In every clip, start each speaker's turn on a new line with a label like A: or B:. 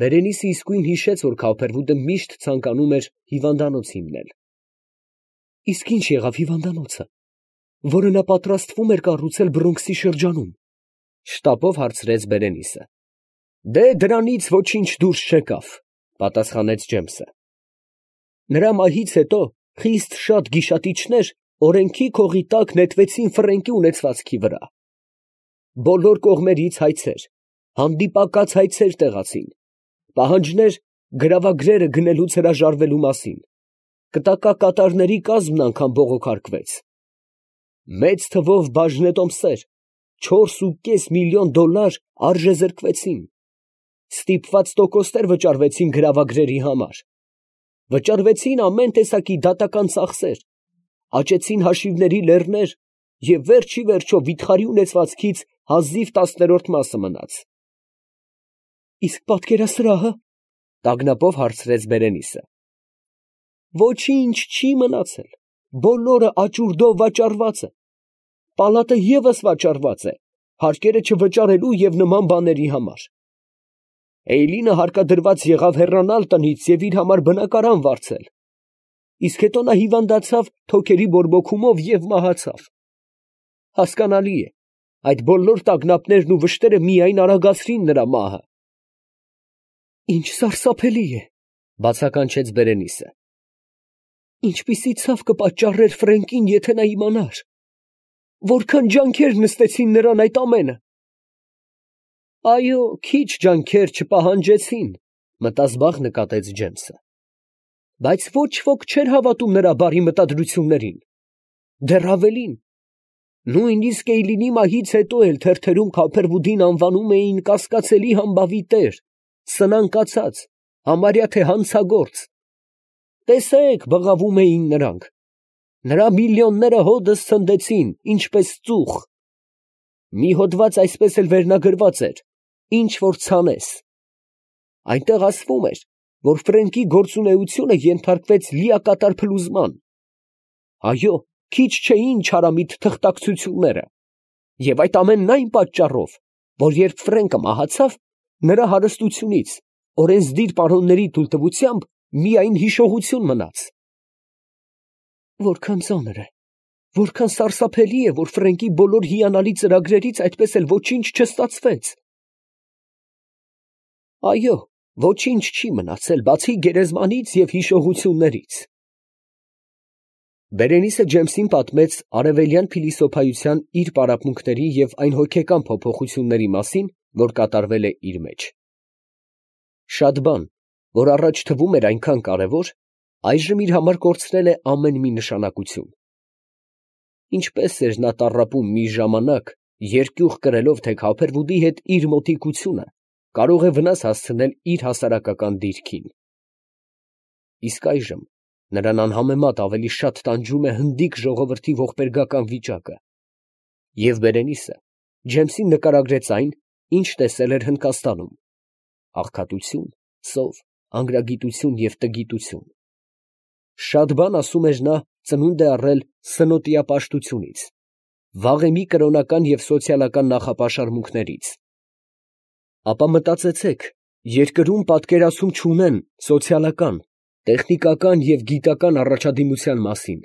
A: Բերենիսը իսկույն հիշեց, որ Քափերվուդը միշտ ցանկանում էր հիվանդանոց հիմնել։ Իսկ ի՞նչ եղավ հիվանդանոցը, որը նա պատրաստվում էր կառուցել Բրոնքսի շրջանում, շտապով հարցրեց Բերենիսը։ Դե դրանից ոչինչ դուրս չեկավ, պատասխանեց Ջեյմսը։ Նրա մահից հետո խիստ շատ գիշատիչներ օրենքի քողի տակ նետվեցին Ֆրենկի ունեցվածքի վրա։ Բոլոր կողմերից հայցեր, հանդիպակաց հայցեր տեղացին, պահանջներ գրավագրերը գնելուց հրաժարվելու մասին, կտակակատարների կազմն անգամ բողոքարկվեց։ Մեծ թվով բաժնետոմսեր, 4,5 միլիոն դոլար արժեզրկվեցին, ստիպված տոկոսներ վճարվեցին գրավագրերի համար, վճարվեցին ամեն տեսակի դատական ծախսեր, աճեցին հաշիվների լեռներ և վերջի վերջո վիթխարի ունեցվածքից հազիվ 10-րդ մասը մնաց։ Իսկ պատկերասրահը, տագնապով հարցրեց Բերենիսը։ Ոչինչ չի մնացել, բոլորը աճուրդով վաճառված է, պալատը ևս վաճառված է, հարկերը չվճարելու և նման բաների համար։ Էյլինը հարկադրված եղավ հեռանալ տնից և իր համար բնակարան վարձել, իսկ հետո նա հիվանդացավ թոքերի բորբոքումով և մահացավ։ Հասկանալի է, այդ բոլոր տագնապներն ու վշտերը միայն արագացրին նրա մահը։ Ինչ սարսափելի է, բացականչեց Բերենիսը։ Ինչպիսի ցավ կպատճառեր Ֆրենկին, եթե նա իմանար, որքան ջանքեր նստեցին նրան այդ ամենը։ Այո, քիչ ջանքեր չպահանջեցին, մտազբաղ նկատեց Ջեյմսը։ Բայց ոչ ոք չէր հավատում նրա բարի մտադրություններին։ Դեռ ավելին, նույնիսկ Էյլինի մահից հետո էլ թերթերում Քափերվուդին անվանում էին կասկածելի համբավի տեր, սնանկացած, համարյա թե հանցագործ։ Տեսեք, բղավում էին նրանք, նրա միլիոնները հօդս ցնդեցին, ինչպես ծուխ։ Մի հոդված այսպես էլ վերնագրված էր. ինչ որ ցանես։ Այնտեղ ասվում էր, որ Ֆրենկի գործունեությունը ենթարկվեց լիակատար փլուզման։ Այո, քիչ չէին չարամիտ թղթակցությունները, և այդ ամենն այն պատճառով, որ երբ Ֆրենկը մահացավ, նրա հարստությունից, օրենսդիր պարոնների թույլտվությամբ, միայն հիշողություն մնաց։ Որքան ծանր է, որքան սարսափելի է, որ Ֆրենկի բոլոր հիանալի ծրագրերից այդպես էլ ոչինչ չստացվեց։ Այո, ոչինչ չի մնացել, բացի գերեզմանից և հիշողություններից։ Բերենիսը Ջեյմսին պատմեց արևելյան փիլիսոփայության իր պարապմունքների և այն հոգեկան փոփոխությունների մասին, որ կատարվել է իր մեջ։ Շատ բան, որ առաջ թվում էր այնքան կարևոր, այժմ իր համար կորցրել է ամեն մի նշանակություն։ Ինչպես էր նա տառապում մի ժամանակ, երկյուղ կրելով, թե Քափերվուդի հետ իր մոտիկությունը կարող է վնաս հասցնել իր հասարակական դիրքին։ Իսկ այժմ նրան անհամեմատ ավելի շատ տանջում է հնդիկ ժողովրդի ողբերգական վիճակը։ Եվ Բերենիսը Ջեյմսին նկարագրեց այն, ինչ տեսել էր Հնդկաստանում. աղքատություն, սով, անգրագիտություն և տգիտություն։ Շատ բան, ասում էր նա, ծնունդ է առել սնոտիապաշտությունից, վաղեմի կրոնական և սոցիալական նախապաշարմունքներից։ Ապա մտածեցեք, երկրում պատկերացում չունեն սոցիալական, տեխնիկական և գիտական առաջադիմության մասին։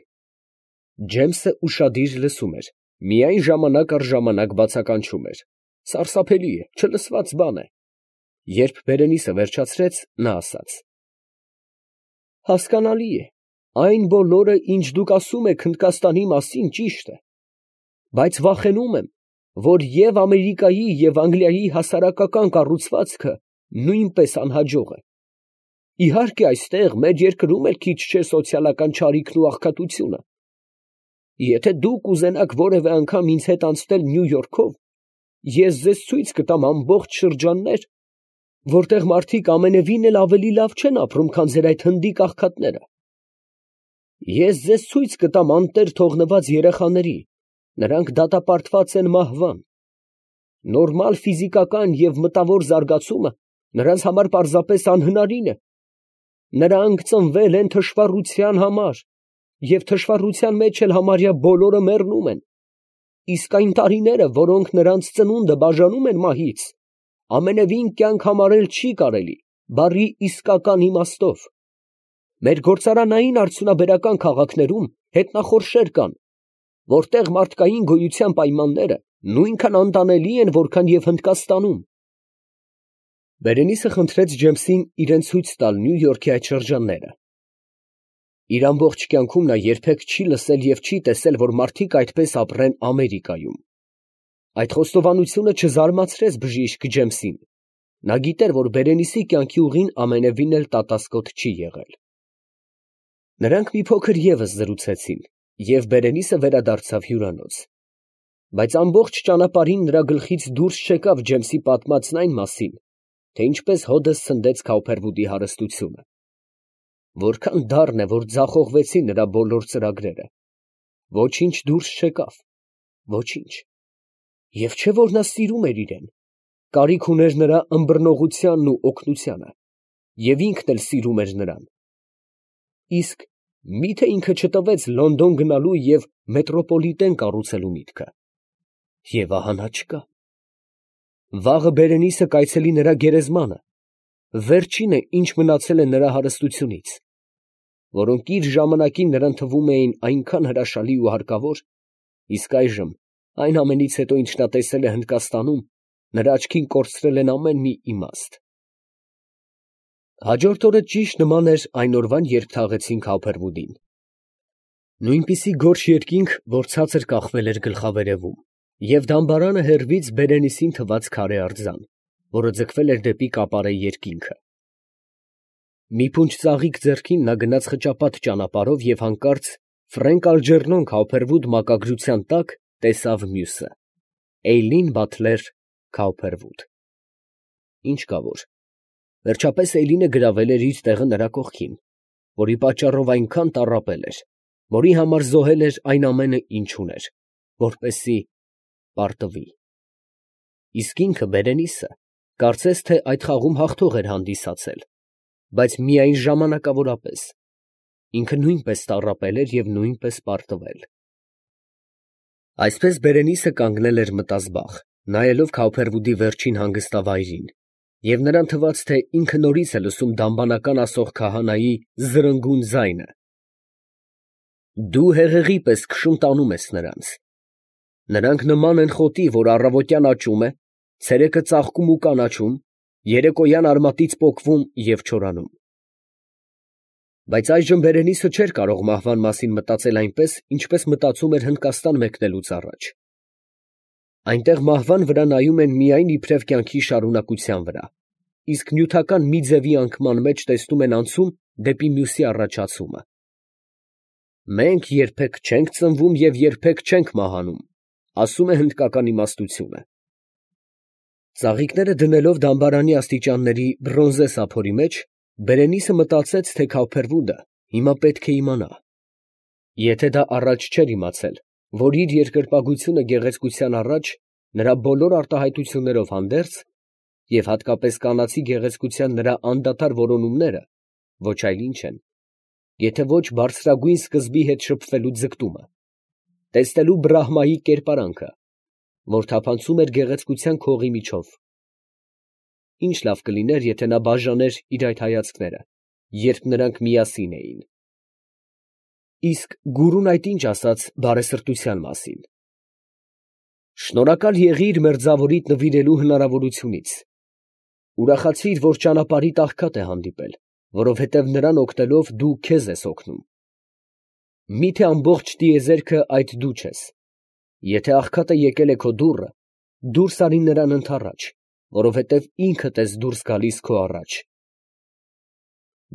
A: Ջեյմսը ուշադիր լսում էր, միայն ժամանակ առ ժամանակ բացականչում էր. սարսափելի է, չլսված բան է։ Երբ Բերենիսը վերջացրեց, նա ասաց. հասկանալի է, այն բոլորը, ինչ դուք ասում եք Հնդկաստանի մասին, ճիշտ է, բայց վախենում եմ, որ և Ամերիկայի և Անգլիայի հասարակական կառուցվածքը նույնպես անհաջող է։ Իհարկե, այստեղ մեր երկրում էլ քիչ չէ սոցիալական չարիքն ու աղքատությունը։ Եթե դուք ուզենաք որևէ անգամ ինձ հետ անցնել Նյու Յորքով, ես ձեզ ցույց կտամ ամբողջ շրջաններ, որտեղ մարդիկ ամենևին էլ ավելի լավ չեն ապրում, քան ձեր այդ հնդիկ աղքատները։ Ես ձեզ ցույց կտամ անտեր թողնված երեխաների, նրանք դատապարտված են մահվան։ Նորմալ ֆիզիկական և մտավոր զարգացումը նրանց համար պարզապես անհնարին է։ Նրանք ծնվել են թշվառության համար, և թշվառության մեջ էլ համարյա բոլորը մեռնում են։ Իսկ այն տարիները, որոնք նրանց ծնունդը բաժանում են մահից, ամենևին կյանք համարել չի կարելի, բառի իսկական իմաստով։ Մեր գործարանային արդյունաբերական քաղաքներում հետնախորշեր կան, որտեղ մարդկային գոյության պայմանները նույնքան անտանելի են, որքան և Հնդկաստանում։ Բերենիսը խնդրեց Ջեյմսին իրան ցույց տալ Նյու Յորքի այդ շրջանները։ Իր ամբողջ կյանքում նա երբեք չի լսել և չի տեսել, որ մարդիկ այդպես ապրեն Ամերիկայում։ Այդ խոստովանությունը չզարմացրեց բժիշկ Ջեյմսին։ Նա գիտեր, որ Բերենիսի կյանքի ուղին ամենևին էլ տատասկոտ չի եղել։ Նրանք մի փոքր ևս զրուցեցին, և Բերենիսը վերադարձավ հյուրանոց։ Բայց ամբողջ ճանապարհին նրա գլխից դուրս չեկավ Ջեյմսի պատմածն այն մասին, թե ինչպես հօդս ցնդեց Քաուփերվուդի հարստությունը։ Որքան դառն է, որ ձախողվեցին նրա բոլոր ծրագրերը։ Ոչինչ դուրս չեկավ, ոչինչ։ Եվ չէ՞ որ նա սիրում էր իրեն, կարիք ուներ նրա ըմբռնողությանն ու օգնությանը, և ինքն էլ սիրում էր նրան։ Իսկ մի՞թե ինքը չտվեց Լոնդոն գնալու և մետրոպոլիտեն կառուցելու միտքը։ Եվ ահա նա չկա։ Վաղը Բերենիսը կայցելի նրա գերեզմանը, վերջինը, ինչ մնացել է նրա հարստությունից, որոնք իր ժամանակին նրան թվում էին այնքան հրաշալի ու հարկավոր, իսկ այժմ, այն ամենից հետո, ինչ նա տեսել է Հնդկաստանում, նրա աչքին կորցրել են ամեն մի իմաստ։ Հաջորդ օրը ճիշտ նման էր այն օրվան, երբ թաղեցին Քաուփերվուդին։ Նույնպիսի գորշ երկինք, որ ցածր կախվել էր գլխավերևում, և դամբարանը հեռվից Բերենիսին թված քարե արձան, որը ձգվել էր դեպի կապարե երկինքը։ Մի փունջ ծաղիկ ձեռքին նա գնաց խճապատ ճանապարհով և հանկարծ Ֆրենկ Ալջերնոն Քաուփերվուդ մակագրության տակ տեսավ մյուսը՝ Էյլին Բաթլեր Քաուփերվուդ։ Ինչ կա որ, վերջապես Էյլինը գրավել էր իր տեղը նրա կողքին, որի պատճառով այնքան տառապել էր, որի համար զոհել էր այն ամենը, ինչ ուներ, որպեսզի պարտվի։ Իսկ ինքը, Բերենիսը, կարծես թե այդ խաղում հաղթող էր հանդիսացել, բայց միայն ժամանակավորապես։ Ինքը նույնպես տառապել էր և նույնպես պարտվել։ Այսպես Բերենիսը կանգնել էր մտազբաղ, նայելով Քաուփերվուդի վերջին հանգստավայրին, և նրան թվաց, թե ինքը նորից է լսում դամբանական ասող քահանայի զրնգուն ձայնը. «Դու հեղեղի պես քշում տանում ես նրանց. նրանք նման են խոտի, որ առավոտյան աճում է, ցերեկը ծաղկում ու կանաչում, երեկոյան արմատից պոկվում և չորանում»։ Բայց այժմ Բերենիսը չէր կարող մահվան մասին մտածել այնպես, ինչպես մտածում էր Հնդկաստան մեկնելուց առաջ։ Այնտեղ մահվան վրա նայում են միայն իբրև կյանքի շարունակության վրա, իսկ նյութական մի ձևի անկման մեջ տեսնում են անցում դեպի մյուսի առաջացումը։ «Մենք երբեք չենք ծնվում և երբեք չենք մահանում», ասում է հնդկական իմաստությունը։ Ծաղիկները դնելով դամբարանի աստիճանների բրոնզե սափորի մեջ, Բերենիսը մտածեց, թե Քաուփերվուդը հիմա պետք է իմանա։ Եթե դա առաջ չէր իմացել, որ իր երկրպագությունը գեղեցկության առաջ, նրա բոլոր արտահայտություններով հանդերձ, և հատկապես կանացի գեղեցկության նրա անդադար որոնումները, ոչ այլ ինչ են, եթե ոչ բարձրագույն սկզբի հետ շփվելու ձգտումը, տեսնելու Բրահմայի կերպարանքը, որ թափանցում էր գեղեցկության քողի միջով։ Ինչ լավ կլիներ, եթե նա բաժաներ իր այդ հայացքները, երբ նրանք միասին էին։ Իսկ գուրուն այդ ինչ ասաց բարեսրտության մասին։ Շնորհակալ եղիր մերձավորիդ նվիրելու հնարավորությունից։ Ուրախացիր, որ ճանապարհիդ աղքատ է հանդիպել, որովհետև նրան օգնելով դու քեզ ես օգնում։ Միթե ամբողջ տիեզերքը այդ դու չես։ Եթե աղքատը եկել է քո դուռը, դուրս արի նրան ընդառաջ, որովհետև ինքդ ես դուրս գալիս քո առաջ։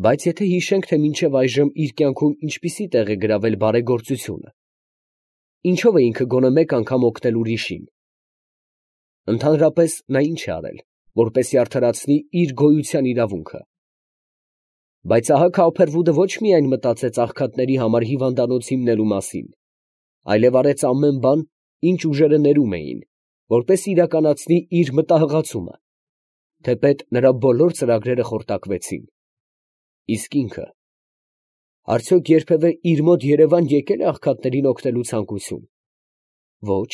A: Բայց եթե հիշենք, թե մինչև այժմ իր կյանքում ինչպիսի տեղ է գրավել բարեգործությունը, ինչով է ինքը գոնե մեկ անգամ օգնել ուրիշին։ Ընդհանրապես նա ինչ է արել, որպեսզի արդարացնի իր գոյության իրավունքը։ Բայց ահա Քաուփերվուդը ոչ միայն մտածեց աղքատների համար հիվանդանոց հիմնելու մասին, այլև արեց ամեն բան, ինչ ուժերը ներում էին, որպեսզի իրականացնի իր մտահղացումը, թեպետ նրա բոլոր ծրագրերը խորտակվեցին։ Իսկ ինքը, արդյոք երբևէ իր մոտ երևան եկել է աղքատներին օգնելու ցանկություն։ Ոչ,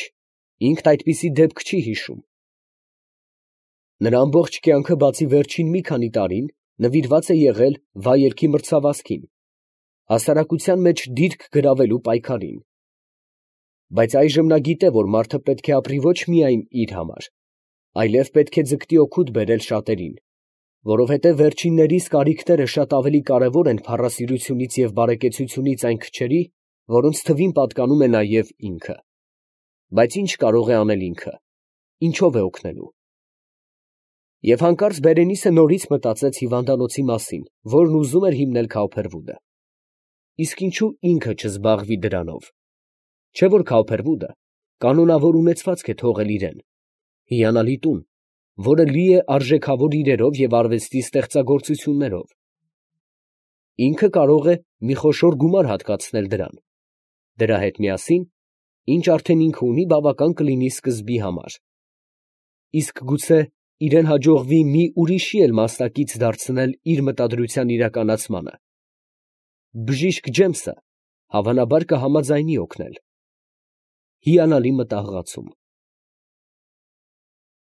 A: ինքն այդպիսի դեպք չի հիշում։ Նրա ամբողջ կյանքը, բացի վերջին մի քանի տարին, նվիրված է եղել վայելքի մրցավազքին, հասարակության մեջ դիրք գրավելու պայքարին։ Բայց այժմ նա գիտե, որ մարդը պետք է ապրի ոչ միայն իր համար, այլև պետք է ձգտի օգուտ բերել շատերին, որովհետև վերջիններիս կարիքները շատ ավելի կարևոր են փառասիրությունից և բարեկեցությունից այն քչերի, որոնց թվին պատկանում է նաև ինքը։ Բայց ի՞նչ կարող է անել ինքը, ինչով է օգնելու։ Եվ հանկարծ Բերենիսը նորից մտածեց հիվանդանոցի մասին, որն ուզում էր հիմնել Քաուփերվուդը։ Իսկ ինչու ինքը չզբաղվի դրանով։ Չէ՞ որ Քաուփերվուդը կանոնավոր ունեցվածք է թողել իրեն, հիանալի տուն, որը լի է արժեքավոր իրերով և արվեստի ստեղծագործություններով։ Ինքը կարող է մի խոշոր գումար հատկացնել դրան, դրա հետ միասին, ինչ արդեն ինքը ունի, բավական կլինի սկզբի համար։ Իսկ գուցե իրեն հաջողվի մի ուրիշի էլ մասնակից դարձնել իր մտադրության իրականացմանը։ Բժիշկ Ջեմսը հավանաբար կհամաձայնի օգնել։ Հիանալի մտահղացում։